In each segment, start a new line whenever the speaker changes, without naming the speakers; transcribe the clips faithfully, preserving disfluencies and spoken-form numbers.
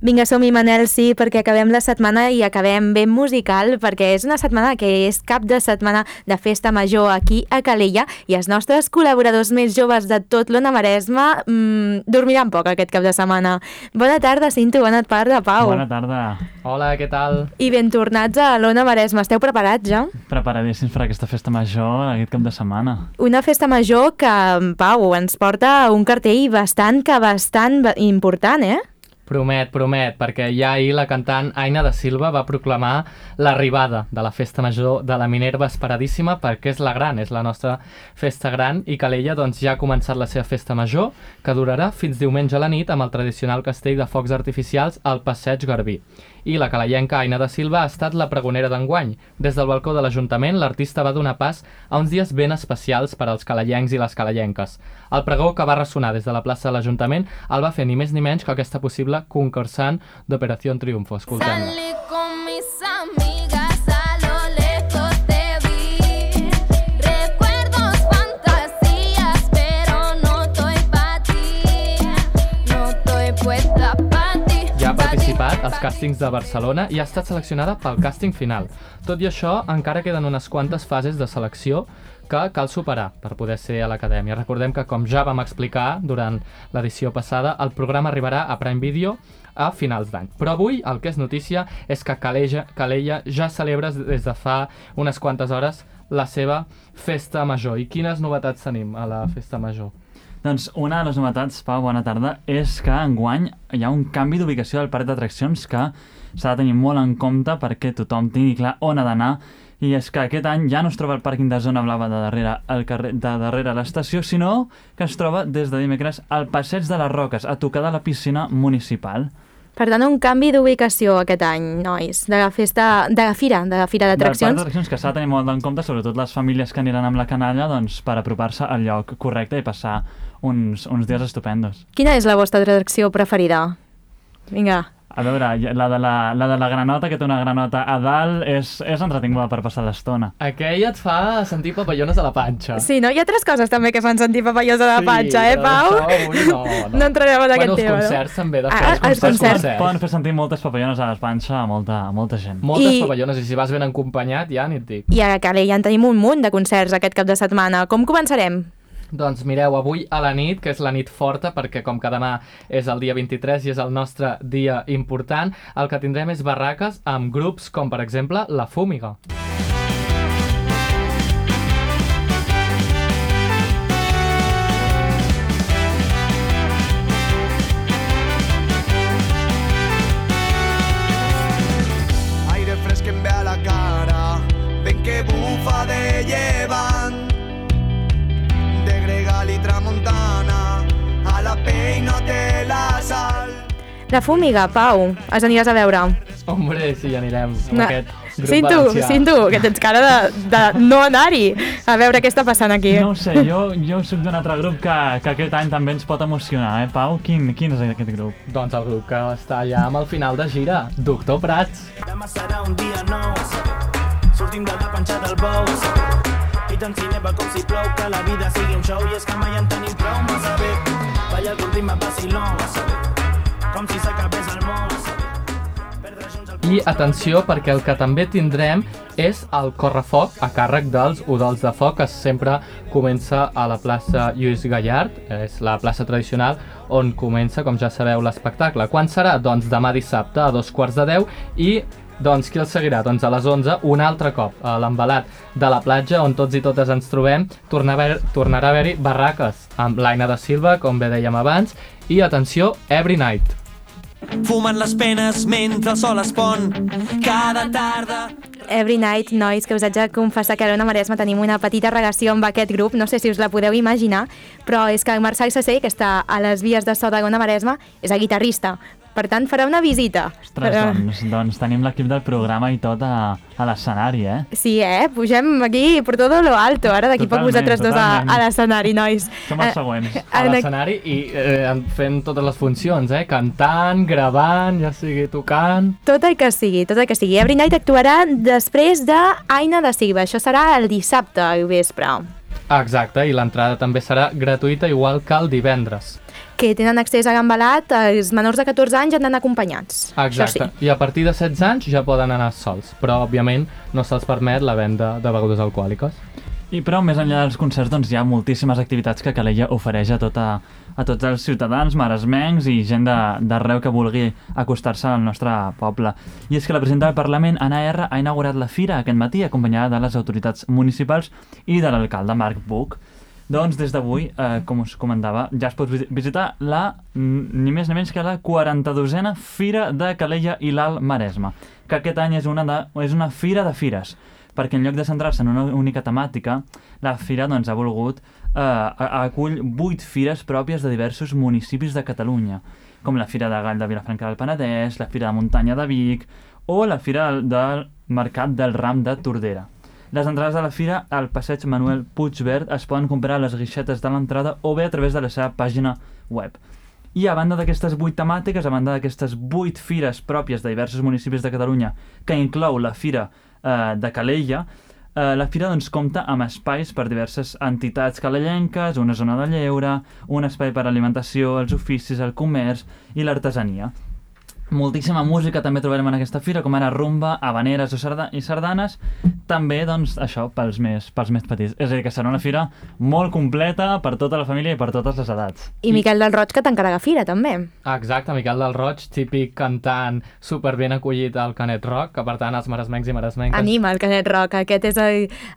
Vinga, som-hi, Manel, sí, perquè acabem la setmana i acabem ben musical, perquè és una setmana que és cap de setmana de festa major aquí a Calella i els nostres col·laboradors més joves de tot l'Ona Maresme mmm, dormiran poc aquest cap de setmana. Bona tarda, Cinto, bona tarda, Pau.
Bona tarda.
Hola, què tal?
I ben tornats a l'Ona Maresme. Esteu preparats ja?
Preparadíssims per aquesta festa major aquest cap de setmana.
Una festa major que, Pau, ens porta un cartell bastant que bastant important, eh?
Promet, promet, perquè ja ahir la cantant Aina da Silva va proclamar l'arribada de la festa major de la Minerva esperadíssima perquè és la gran, és la nostra festa gran i Calella doncs, ja ha començat la seva festa major que durarà fins diumenge a la nit amb el tradicional castell de focs artificials al Passeig Garbí. I la calellenca Aina da Silva ha estat la pregonera d'enguany. Des del balcó de l'Ajuntament, l'artista va donar pas a uns dies ben especials per als calellencs i les calellenques. El pregó que va ressonar des de la plaça de l'Ajuntament el va fer ni més ni menys que aquesta possible concursant d'Operació Triunfo. Escoltem-la.
Salí con mis amigas, a lo lejos te vi. Recuerdos, fantasías, pero no estoy pa' ti. No estoy puesta pa' ti.
Ja ha participat als càstings de Barcelona i ha estat seleccionada pel càsting final. Tot i això, encara queden unes quantes fases de selecció que cal superar per poder ser a l'Acadèmia. Recordem que, com ja vam explicar durant l'edició passada, el programa arribarà a Prime Video a finals d'any. Però avui el que és notícia és que Calella, Calella ja celebra des de fa unes quantes hores la seva festa major. I quines novetats tenim a la festa major?
Doncs una de les novetats, Pau, bona tarda, és que enguany hi ha un canvi d'ubicació del parc d'atraccions que s'ha de tenir molt en compte perquè tothom tingui clar on ha d'anar. I és que aquest any ja no es troba el pàrquing de Zona Blava de darrere, el carrer, de darrere l'estació, sinó que es troba des de dimecres al Passeig de les Roques, a tocar de la piscina municipal.
Per tant, un canvi d'ubicació aquest any, nois, de la festa, de la fira, de la fira d'atraccions.
Del parc d'atraccions que s'ha de tenir molt en compte, sobretot les famílies que aniran amb la canalla, doncs, per apropar-se al lloc correcte i passar uns, uns dies estupendos.
Quina és la vostra atracció preferida? Vinga.
A veure, la de la, la de la granota, que té una granota a dalt, és, és entretinguda per passar l'estona.
Aquella et fa sentir papallones a la panxa.
Sí, no? Hi ha altres coses també que fan sentir papallones a la
sí,
panxa, eh, Pau?
Avui no, no.
No entrarem en aquest
bueno,
tema,
els concerts
no?
també, de
Ah,
fer
els
els
concerts.
concerts.
Poden fer sentir moltes papallones a la panxa a molta, a molta gent.
Moltes
I-
papallones, i si vas ben acompanyat ja ni et dic.
I a Calella en tenim un munt de concerts aquest cap de setmana. Com començarem?
Doncs mireu, avui a la nit, que és la nit forta, perquè com que demà és el dia vint-i-tres i és el nostre dia important, el que tindrem és barraques amb grups com, per exemple, La Fúmiga.
Aire fresco em ve a la cara, ven que bufa de llevant, de Gregal i Tramuntana, a la pell no té la sal.
La Fúmiga, Pau, els aniràs a veure.
Hombre, sí, anirem amb
No.
aquest grup
Cinto,
valencià.
Cinto, que tens cara de, de no anar-hi. A veure què està passant aquí.
No ho sé, jo, jo soc d'un altre grup que, que aquest any també ens pot emocionar, eh, Pau? Quin, quin és aquest grup?
Doncs el grup que està ja amb el final de gira, Doctor Prats.
Demà serà un dia nou, sortim de la panxa del bou, i tant si neva com si plou, que la vida sigui un show, i és que mai en tenim prou, massa bé, balla el ritme vacilón, com si s'acabés el món, perdre junts el...
I atenció, perquè el que també tindrem és el correfoc a càrrec dels Udols de Foc, que sempre comença a la plaça Lluís Gallard, és la plaça tradicional on comença, com ja sabeu, l'espectacle. Quan serà? Doncs demà dissabte a dos quarts de deu i doncs qui el seguirà? Doncs a les onze, un altre cop, a l'embalat de la platja, on tots i totes ens trobem, tornarà a tornarà a haver-hi barraques amb l'Aina da Silva, com bé dèiem abans, i atenció, Every Night.
Fumen les penes mentre el sol es pon, cada tarda...
Every night, nois, que us haig de confessar que a l'Ona Maresme tenim una petita relació amb aquest grup, no sé si us la podeu imaginar, però és que el Marçal Sacé, que està a les vies de so de l'Ona Maresme, és el guitarrista. Per tant, farà una visita.
Ostres, doncs, doncs tenim l'equip del programa i tot a, a l'escenari, eh?
Sí, eh? Pugem aquí per tot lo alto, ara d'aquí poc
Totalment,
vosaltres dos a,
totalment.
a l'escenari, nois.
Som els
Eh,
següents.
A
en-
l'escenari i eh, fent totes les funcions, eh? Cantant, gravant, ja sigui tocant...
Tot el que sigui, tot el que sigui. Every Night actuarà després de Aina da Silva. Això serà el dissabte al vespre.
Exacte, i l'entrada també serà gratuïta, igual que el divendres.
que tenen accés a Gambalat, els menors de catorze anys han d'anar acompanyats.
Exacte,
Això sí.
i a partir de setze anys ja poden anar sols, però òbviament no se'ls permet la venda de begudes alcohòliques.
I però més enllà dels concerts doncs, hi ha moltíssimes activitats que Calella ofereix a, tota, a tots els ciutadans, maresmencs i gent d'arreu que vulgui acostar-se al nostre poble. I és que la presidenta del Parlament, Anna R, ha inaugurat la fira aquest matí acompanyada de les autoritats municipals i de l'alcalde Marc Buch. Doncs des d'avui, eh, com us comentava, ja es pot visitar la, ni més ni menys que la quaranta-dosena Fira de Calella i l'Alt Maresme, que aquest any és una, de, és una fira de fires, perquè en lloc de centrar-se en una única temàtica, la fira doncs, ha volgut eh, acull vuit fires pròpies de diversos municipis de Catalunya, com la Fira de Gall de Vilafranca del Penedès, la Fira de Muntanya de Vic o la Fira del Mercat del Ram de Tordera. Les entrades de la fira al passeig Manuel Puigverd es poden comprar a les guixetes de l'entrada o bé a través de la seva pàgina web. I a banda d'aquestes vuit temàtiques, a banda d'aquestes vuit fires pròpies de diversos municipis de Catalunya, que inclou la Fira eh, de Calella, eh, la fira doncs, compta amb espais per diverses entitats calellenques, una zona de lleure, un espai per a alimentació, els oficis, el comerç i l'artesania. Moltíssima música també trobarem en aquesta fira, com ara rumba, habaneres o sarda i sardanes, també, doncs, això, pels més, pels més petits. És a dir, que serà una fira molt completa per tota la família i per totes les edats.
I Miquel del Roig, que t'encarrega fira, també.
Exacte, Miquel del Roig, típic cantant super ben acollit al Canet Rock, que per tant els maresmencs i maresmenques...
Anima el Canet Rock, aquest és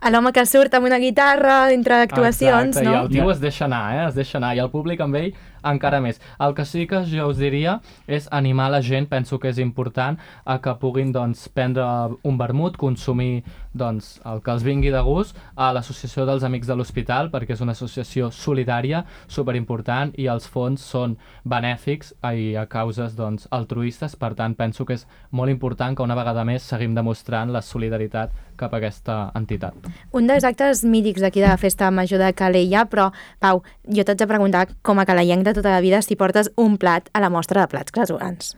l'home que surt amb una guitarra entre actuacions,
Exacte,
no?
i el tio es deixa anar, eh? Es deixa anar, i el públic amb ell encara més. El que sí que jo us diria és animar la gent, penso que és important, a que puguin doncs, prendre un vermut, consumir doncs, el que els vingui de gust a l'Associació dels Amics de l'Hospital, perquè és una associació solidària, superimportant, i els fons són benèfics i a causes doncs, altruistes, per tant penso que és molt important que una vegada més seguim demostrant la solidaritat cap a aquesta entitat.
Un dels actes mítics d'aquí de la Festa Major de Calella, però, Pau, jo t'haig de preguntar, com a calellenc de tota la vida, si portes un plat a la mostra de plats casolans.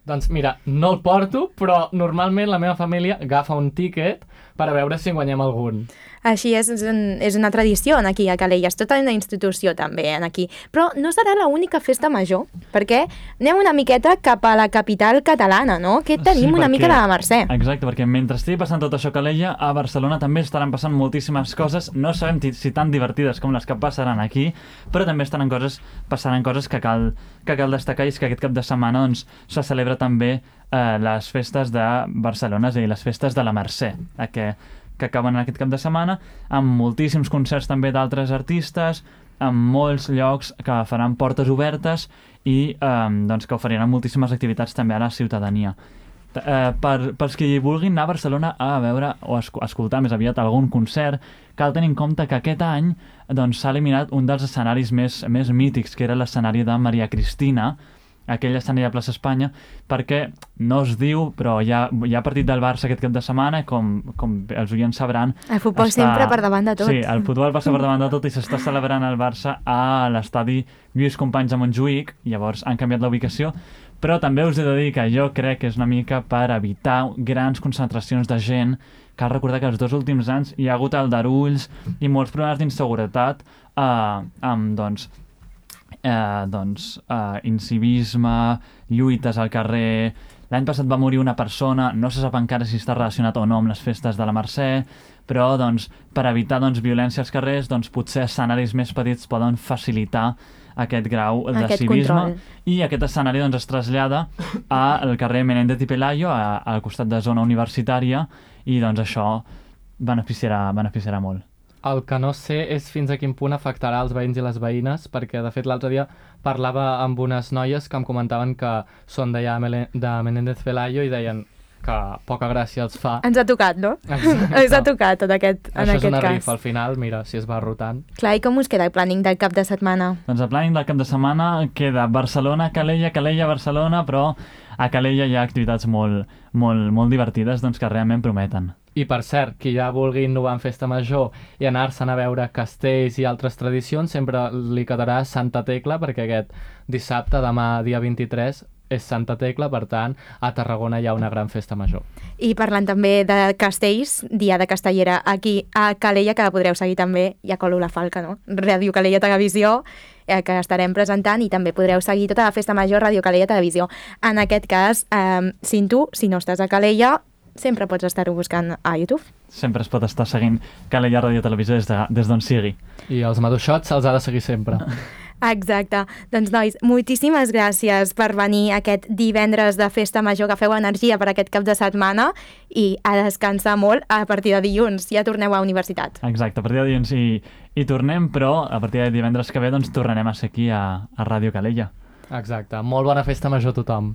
Doncs mira, no el porto, però normalment la meva família agafa un tíquet per a veure si en guanyem algun.
Així és, és, un, és una tradició aquí a Calella, és tota una institució també aquí. Però no serà l'única festa major, perquè anem una miqueta cap a la capital catalana, no? Que tenim
Sí,
una
perquè-
mica de la Mercè.
Exacte, perquè mentre estigui passant tot això a Calella, a Barcelona també estaran passant moltíssimes coses, no sabem ti- si tan divertides com les que passaran aquí, però també estaran coses, passaran coses que cal, que cal destacar, i és que aquest cap de setmana doncs, se celebra també eh, les festes de Barcelona, és a dir, les festes de la Mercè, eh, que, que acaben aquest cap de setmana, amb moltíssims concerts també d'altres artistes, amb molts llocs que faran portes obertes i eh, doncs, que oferiran moltíssimes activitats també a la ciutadania. Eh, per, pels qui vulguin anar a Barcelona a veure o a esco- escoltar més aviat algun concert, cal tenir en compte que aquest any doncs, s'ha eliminat un dels escenaris més, més mítics, que era l'escenari de Maria Cristina, aquell escenari a plaça Espanya, perquè no es diu, però hi ha, hi ha partit del Barça aquest cap de setmana, com, com els oients sabran.
El futbol sempre per davant de tot.
Sí, el futbol passa per davant de tot i s'està celebrant el Barça a l'estadi Lluís Companys a Montjuïc, llavors han canviat la ubicació, però també us he de dir que jo crec que és una mica per evitar grans concentracions de gent. Cal recordar que els dos últims anys hi ha hagut aldarulls i molts problemes d'inseguretat eh, amb, doncs, eh, doncs, eh, incivisme, lluites al carrer. L'any passat va morir una persona, no se sap encara si està relacionat o no amb les festes de la Mercè, però doncs, per evitar doncs, violència als carrers, doncs, potser escenaris més petits poden facilitar aquest grau de
Aquest
civisme,
control.
i aquest escenari doncs, es trasllada al carrer Menéndez y Pelayo, a- al costat de zona universitària, i doncs, això beneficiarà, beneficiarà molt.
El que no sé és fins a quin punt afectarà els veïns i les veïnes, perquè de fet l'altre dia parlava amb unes noies que em comentaven que són d'allà Mele- de Menéndez Pelayo i deien que poca gràcia els fa.
Ens ha tocat, no?
Exacte.
Ens ha tocat en aquest, en
Això és
aquest
una
cas.
rifa al final, mira, si es va rotant.
Clar, i com us queda el planning del cap de setmana?
Doncs el planning del cap de setmana queda Barcelona, Calella, Calella, Barcelona, però a Calella hi ha activitats molt, molt, molt divertides doncs, que realment prometen.
I per cert, qui ja vulgui innovar en festa major i anar-se'n a veure castells i altres tradicions, sempre li quedarà Santa Tecla, perquè aquest dissabte, demà dia vint-i-tres, és Santa Tecla, per tant, a Tarragona hi ha una gran festa major.
I parlant també de castells, Dia de Castellera aquí a Calella, que la podreu seguir també, ja colo la falca, no? Ràdio Calella Televisió, eh, que estarem presentant, i també podreu seguir tota la festa major Ràdio Calella Televisió. En aquest cas, eh, si tu, si no estàs a Calella, sempre pots estar-ho buscant a YouTube.
Sempre es pot estar seguint Calella Ràdio Televisió des d'on de, des sigui.
I els maduixots se'ls ha de seguir sempre.
Exacte. Doncs, nois, moltíssimes gràcies per venir aquest divendres de festa major, que feu energia per aquest cap de setmana, i a descansar molt a partir de dilluns. Ja torneu a universitat.
Exacte, a partir de dilluns hi, hi tornem, però a partir de divendres que ve doncs tornarem a ser aquí a, a Ràdio Calella.
Exacte. Molt bona festa major a tothom.